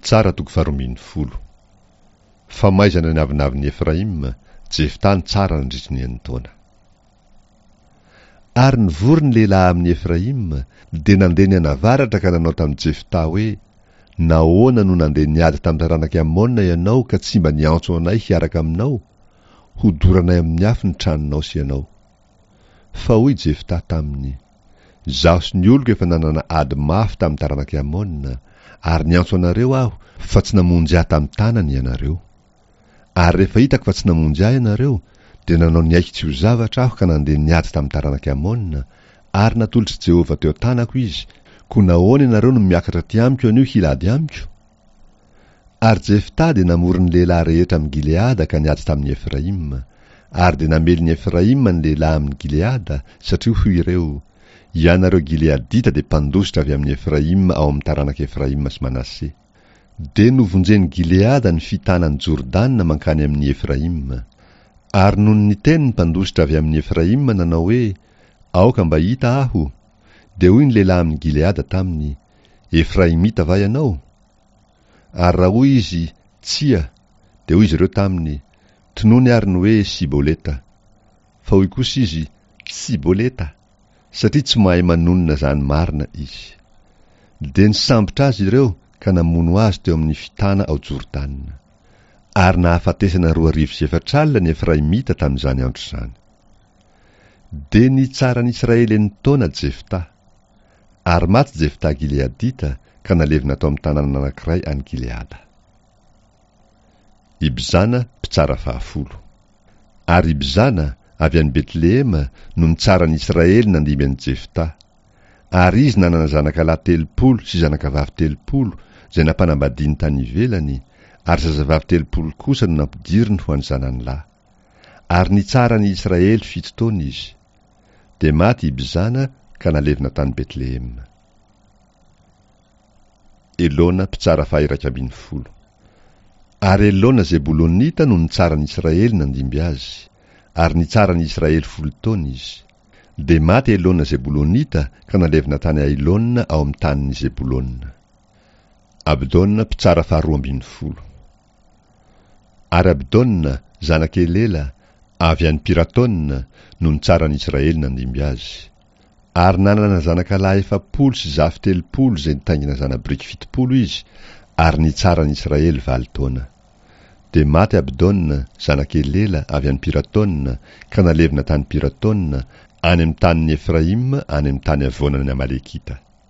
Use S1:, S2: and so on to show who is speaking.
S1: Mpitsara toko faharoambinifolo. Famaizana ny avonavon'i Efraima, Jefta nitsara nandritry ny enin-taona. Ary nivory ny lehilahy amin'i Efraima, dia nandeha nianavaratra ka nanao tamin'i Jefta hoe, Nahoana no nandeha niady tamin'ny taranak'i Amona ianao ka tsy mba niantso anay hiaraka aminao? Hodoranay amin'ny afo ny tranonao sy ianao. Fa hoy Jefta taminy, Izaho sy ny oloko efa nanana ady mafy tamin'ny taranak'i Amona, ary niantso anareo aho, fa tsy namonjy ahy tamin'ny tanany ianareo. Ary rehefa hitako fa tsy namonjy ahy ianareo, dia nanao ny aiko tsy ho zavatra aho ka nandeha niady tamin'ny taranak'i Amona, ary natolotr'i Jehovah teo an-tanako izy, koa nahoana ianareo no miakatra aty amiko anio hilady amiko? Ary Jefta dia namory ny lehilahy rehetra amin'i Gileada ka niady tamin'i Efraima. Ary dia namely ny Efraima ny lehilahy amin'i Gileada, satria hoy ireo, Ianareo Gileadita dia mpandositra avy amin'i Efraima ao amin'ny taranak'i Efraima sy Manase. Dia novonjen'i Gileada ny fitana an'i Jordana mankany amin'i Efraima. Ary nony niteny ny mpandositra avy amin'i Efraima nanao hoe, Aoka mba hita aho, dia hoy ny lehilahy amin'i Gileada taminy, Efraimita va ianao? Ary raha hoy izy, Tsia, dia hoy izy ireo taminy, Tonony àry ny hoe Siboleta. Fa hoy kosa izy, Tsiboleta, satria tsy mahay manonona izany marina izy. Dia nisambotra azy ireo ka namono azy teo amin'ny fitana ao Jordana. Ary nahafatesana 4024 ny Efraimita tamin'izany andro izany. Dia nitsara an'i Israely enin-taona Jefta. Ary maty Jefta Gileadita ka nalevina tao amin'ny tanàna anankiray any Gileada. Ibzana, mpitsara fahafolo. Ary Ibzana, avy any Betlehema, no nitsara an'i Israely nandimby an'i Jefta. Ary izy nanana zanakalahy 30 sy zanakavavy 30, izay nampanambadiany tany ivelany, ary zazavavy 30 kosa no nampidiriny ho an'ny zanany lahy. Ary nitsara an'i Israely fito taona izy. Dia maty Ibzana ka nalevina tany Betlehema. Elona mpitsara faha-11. Ary Elona Zebolonita no nitsara an'i Israely nandimby azy, ary nitsara an'i Israely folo taona izy. Dia maty Elona Zebolonita ka nalevina tany Ailona ao amin'ny tanin'i Zebolona. Abdona mpitsara faharoambinifolo. Ary Abdona, zanak'i Elela, avy any Piratona, no nitsara an'i Israely nandimby azy. Ary nanana zanakalahy 40 sy zafy 30 izay nitaingina zana-biriky 70 izy, ary nitsara an'i Israely valo taona. Dia maty Abdona, zanak'i Elela, avy any Piratona, ka nalevina tany Piratona, any amin'ny tanin'i Efraima, any amin'ny tany havoanan'ny Amalekita.